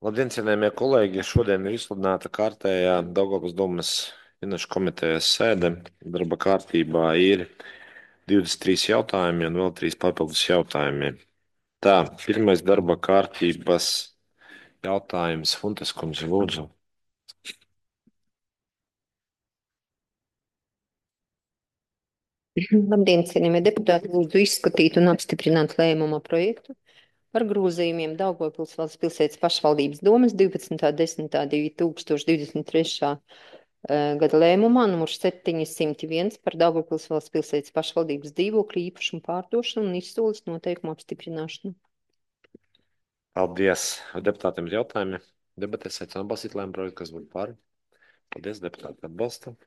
Labdien, cienījamie kolēģi! Šodien ir izsludināta kārtējā Daugavpils domes finanšu komitejas sēde. Darba kārtībā ir 23 jautājumi un vēl 3 papildus jautājumi. Tā, pirmais darba kārtības jautājums Funtes kundze, lūdzu. Labdien, cienījamie deputāti! Lūdzu izskatīt un apstiprināt lēmuma projektu par grozījumiem Daugavpils valsts pilsētas pašvaldības domes 12.10.2023. Gada lēmumā numur 701 par Daugavpils valsts pilsētas pašvaldības dzīvokļu īpašumu pārdošanu un izsoles noteikumu apstiprināšanu. Paldies! Deputātiem ir jautājumi. Debatēs aicinu atbalstīt lēmumu projektu, kas būtu par. Paldies, deputāti atbalsta.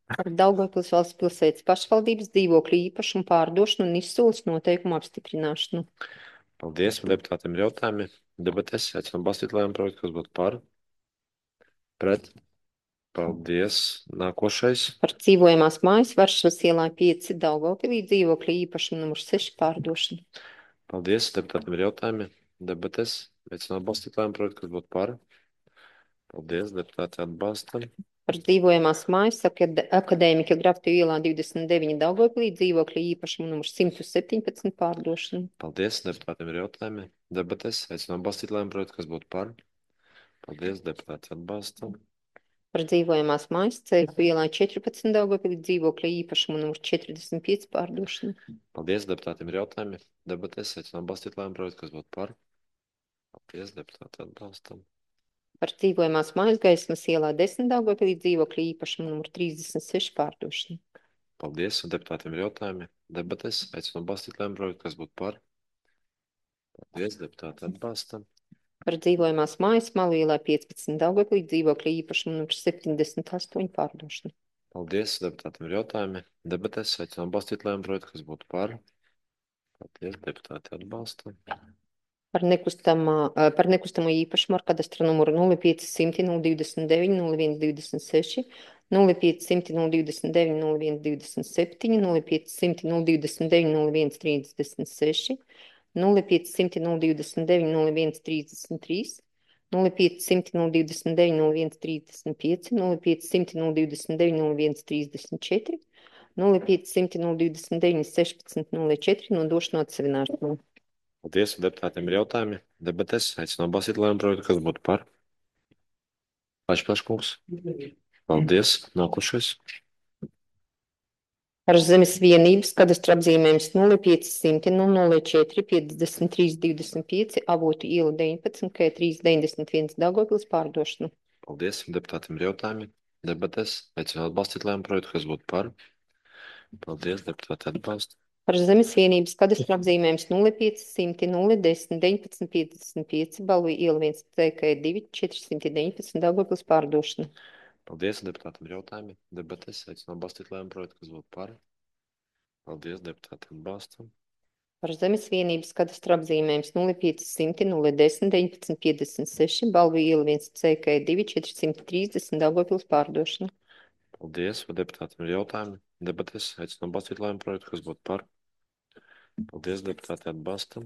Par Daugavpils valsts pilsētas pašvaldības dzīvokļu īpašumu pārdošanu un izsoles noteikumu apstiprināšanu. Paldies, deputātiem ir jautājumi. Debatēs aicinu atbalstīt lēmumu projektu, kas būtu par. Pret. Paldies. Nākošais. Par dzīvojamās mājas Varšavas ielā 5 Daugavpilī dzīvokļu īpašumu numur 6 pārdošanu. Paldies, deputātiem ir jautājumi. Debates. Aicinu atbalstīt lēmumu projektu, kas būtu par. Paldies, deputāti atbalsta. Par dzīvojamās mājas Akadēmika Graftu ielā 29 Daugavpilī dzīvokļu īpašumu numur 117 pārdošanu. Paldies, deputātiem ir jautājumi. Debates. Aicinu atbalstīt lēmumu projektu, kas būtu par. Paldies, deputāti atbalsta. Par dzīvojamās mājas Cēku ielā 14 Daugavpilī dzīvokļu īpašumu numur 45 pārdošanu. Paldies, deputātiem ir jautājumi. Debates. Aicinu atbalstīt lēmumu projektu, kas būtu par. Paldies, deputāti atbalsta. Par dzīvojamās mājas Gaismas ielā 10 Daugavpilī dzīvokļu īpašumu numur 36 pārdošanu. Paldies, deputātiem ir jautājumi. Debates. Aicinu atbalstīt lēmumu projektu, kas būtu par. Paldies, deputāti atbalsta. Par dzīvojamās mājas Malu ielā 15 Daugavpilī dzīvokļu īpašumu numur 78 pārdošanu. Paldies, deputātiem ir jautājumi. Debates. Aicinu atbalstīt lēmumu projektu, kas būtu par. Paldies, deputāti atbalsta. Par nekustamo īpašumu ar kadastra numuru 0500 029 0126, 0500 029 0127, 0500 029 0136, 0500 029 0133, 0500 029 0135, 0500 029 0134, 0500 029 1604 nodošanu atsevināšanu. Paldies, deputātiem ir jautājumi. Debates. Aicinu atbalstīt lēmumu projektu, kas būtu par. Pašplaškungs. Paldies. Nākošais. Ar zemes vienības kadastra apzīmējums 0500 004 53 25 Avotu iela 19 K391 Daugavpils pārdošanu. Paldies, deputātiem ir jautājumi. Debates. Aicinu atbalstīt lēmumu projektu, kas būtu par. Paldies, deputāti atbalsta. Par zemes vienības kadastra apzīmējums 0500 010 19 55 Balvu iela 1 CK2 419 Daugavpils pārdošanu. Paldies, deputātiem ir jautājumi. Debates. Aicinu atbalstīt lēmumu projektu, kas būtu par. Paldies, deputāti atbalsta. Par zemes vienības kadastra apzīmējums 0500 010 19 56 Balvu iela 1 CK2 430 Daugavpils pārdošanu. Paldies, vai deputātiem ir jautājumi. Debates. Aicinu atbalstīt lēmumu projektu, kas būtu par. Paldies, deputāti atbalsta.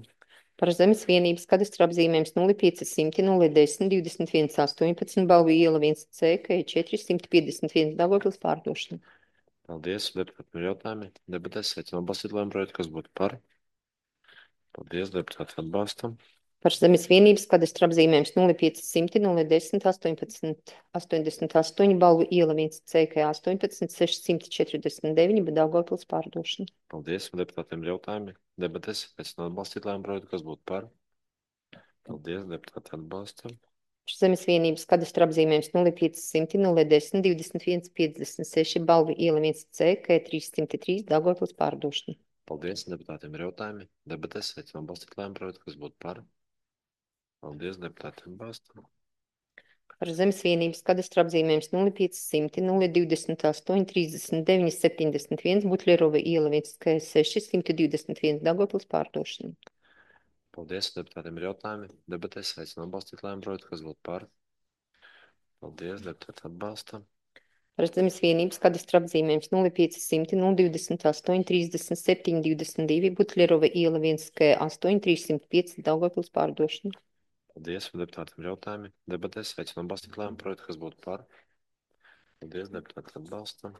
Par zemes vienības kadastra apzīmējums 0500 010 21 18 Balvu iela 1 CK 451 Daugavpils pārdošanu. Paldies, deputātiem ir jautājumi. Debates. Aicinu atbalstīt lēmumu projektu, kas būtu par. Paldies, deputāti atbalsta. Par zemes vienības kadastra apzīmējums 0500 010 18 88 Balvu iela 1 CK 18 649 Daugavpils pārdošanu. Paldies, deputātiem ir jautājumi. Debates. Aicinu atbalstīt lēmumu projektu, kas būtu par. Paldies, deputāti atbalsta. Par zemes vienības kadastra apzīmējums 0500 010 21 56 Balvu iela 1 CK 303 Daugavpils pārdošanu. Paldies, deputātiem ir jautājumi. Debates. Aicinu atbalstīt lēmumu projektu, kas būtu par. Paldies, deputāti atbalsta. Par zemes vienības kadastra apzīmējums 0500 028 39 71 Butlerova iela 1 KS6 121 Daugavpils pārdošanu. Paldies, deputātiem ir jautājumi. Debates. Aicinu atbalstīt lēmumu projektu, kas būtu par. Paldies, deputāti atbalsta. Par zemes vienības kadastra apzīmējums 0500 028 37 22 Butlerova iela 1 K8 305 Daugavpils pārdošanu. Paldies. Vai deputātiem ir jautājumi? Debatēs aicinām balstīt lēmumu projektu, kas būtu par. Paldies. Deputāti atbalsta.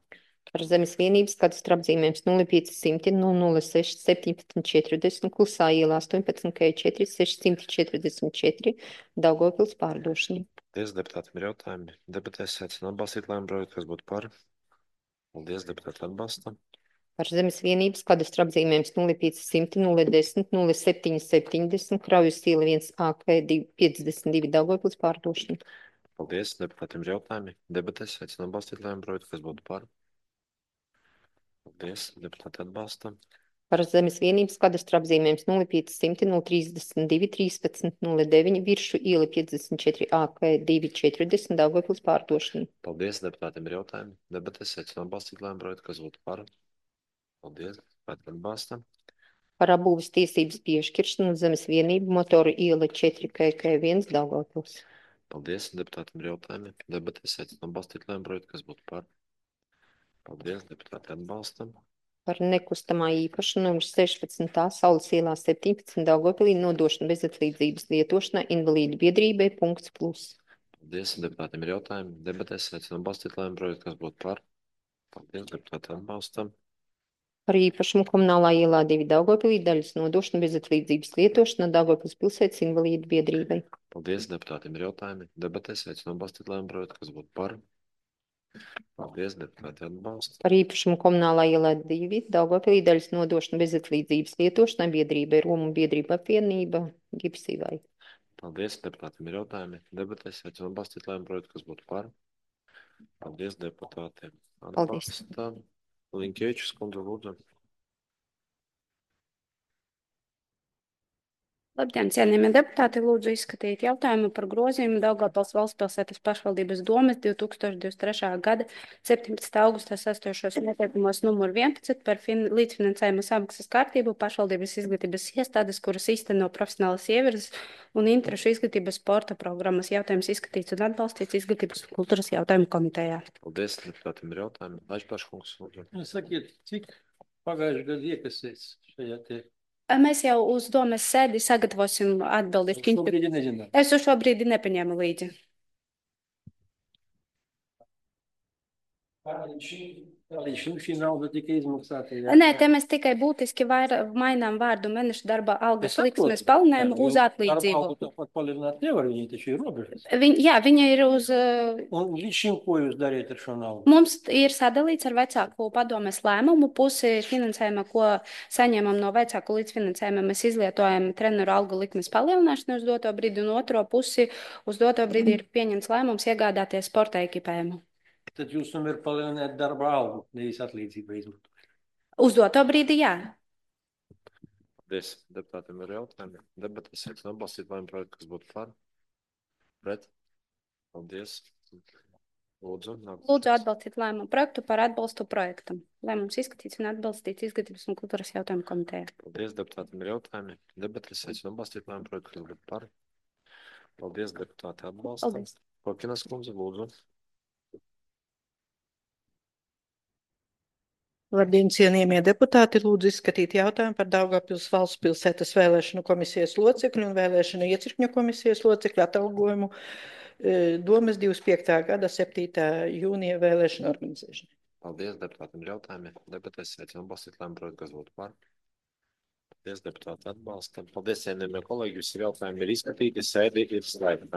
Par zemes vienības kadastra apzīmējums 0500 006 1740 Klusā ielā 18 K4 644 Daugavpils pārdošana. Paldies. Deputātiem ir jautājumi. Debatēs aicinām balstīt lēmumu projektu, kas būtu par. Paldies. Deputāti atbalsta. Par zemes vienības kadastra apzīmējums 0500 010 0770 Kraujas iela 1AK 52 Daugavpils pārdošana. Paldies. Deputātiem ir jautājumi. Debatēs aicinām balstīt lēmumu projektu, kas būtu par. Paldies. Deputāti atbalsta. Par zemes vienības kadastra apzīmējums 0500 032 13 09 Viršu iela 54 AK 240 Daugavpils pārdošana. Paldies. Deputātiem ir jautājumi. Debatēs aicinām balstīt lēmumu projektu, kas būtu par. Paldies. Deputāti atbalsta. Par apbūves tiesības piešķiršanu uz zemes vienību motoru iela 4 KK1 Daugavpils. Paldies. Deputātiem ir jautājumi. Debatēs aicinām balstīt lēmumu projektu, kas būtu par. Paldies. Deputāti atbalsta. Par nekustamā īpaša numurs 16. Saules ielā 17 Daugavpilī nodošanu bezatlīdzības lietošanai invalīdu biedrībai punkts plus. Paldies. Deputātiem ir jautājumi. Debatēs aicinām balstīt lēmumu projektu, kas būtu par. Paldies. Deputāti atbalsta. Par īpašumu komunālā ielā 2 Daugavpilī daļas nodošanu bezatlīdzības lietošanai Daugavpils pilsētas invalīdu biedrībai. Paldies. Deputātiem ir jautājumi. Debatēs aicinām balstīt lēmumu projektu, kas būtu par. Paldies. Deputāti atbalsta. Par īpašumu komunālā ielā 2 Daugavpilī daļas nodošanu bezatlīdzības lietošanai biedrībai Romu biedrība apvienība Gipsīvai. Paldies. Deputātiem ir jautājumi. Debatēs aicinām balstīt lēmumu projektu, kas būtu par. Paldies. Deputātiem atbalsta. Linkēvičs kundze, lūdzu. Labdien, cienījamie deputāti, lūdzu izskatīt jautājumu par grozījumu Daugavpils valstspilsētas pašvaldības domes 2023. gada 17. augustā sastojošos noteikumos numur 11 par līdzfinansējuma samaksas kārtību pašvaldības izglītības iestādes, kuras īsteno profesionālas ievirzes un interešu izglītības sporta programmas. Jautājums izskatīts un atbalstīts izglītības un kultūras jautājumu komitejā. Paldies, deputātiem ir jautājumi. Laišpaškungs, lūdzu. Sakiet, cik pagājušajā gadā iekasēs šajā te? Mēs jau uz domes sēdi sagatavosim atbildi. Šobrīd nezinām. Es uz šo brīdi nepaņēmu līdzi. Līdz šī nauda tika izmaksāta. Nē, te mēs tikai būtiski mainām vārdu mēneša darba algas liksmes palielinājumu uz atlīdzību. Darba algu tāpat palielināt nevar, viņi taču ir robežas. Viņa ir uz... Un līdz šim, ko jūs dariet ar šo naudu? Mums ir sadalīts ar vecāku padomes lēmumu. Pusi finansējuma, ko saņemam no vecāku līdzfinansējuma, mēs izlietojam treneru algu likmes palielināšanu uz doto brīdi, un otro pusi uz doto brīdi ir pieņemts lēmums iegādāties sporta ekipējumu. Tad jūs tomēr palielināt darba algu, nevis atlīdzību izmantot. Uz doto brīdi, jā. Paldies. Deputātiem ir jautājumi. Debatēs aicinām atbalstīt lēmumu projektu, kas būtu par. Pret. Paldies. Lūdzu. Lūdzu atbalstīt lēmumu projektu par atbalstu projektam. Lēmums izskatīts un atbalstīts izglītības un kultūras jautājumu komitejā. Paldies. Deputātiem ir jautājumi. Debatēs aicinām atbalstīt lēmumu projektu, kas būtu par. Paldies. Deputāti atbalsta. Paldies. Kokinas kundze, lūdzu. Labdien, cienījamie deputāti, lūdzu izskatīt jautājumu par Daugavpils valsts pilsētas vēlēšanu komisijas locekļu un vēlēšanu iecirkņu komisijas locekļu atalgojumu domes 25. gada 7. jūnija vēlēšanu organizēšanai. Paldies, deputātiem ir jautājumi. Debatēs aicinām atbalstīt lēmumu projektu, kas būtu par. Paldies, deputāti atbalsta. Paldies, cienījamie kolēģi, visi jautājumi ir izskatīti, sēdi ir slēgta.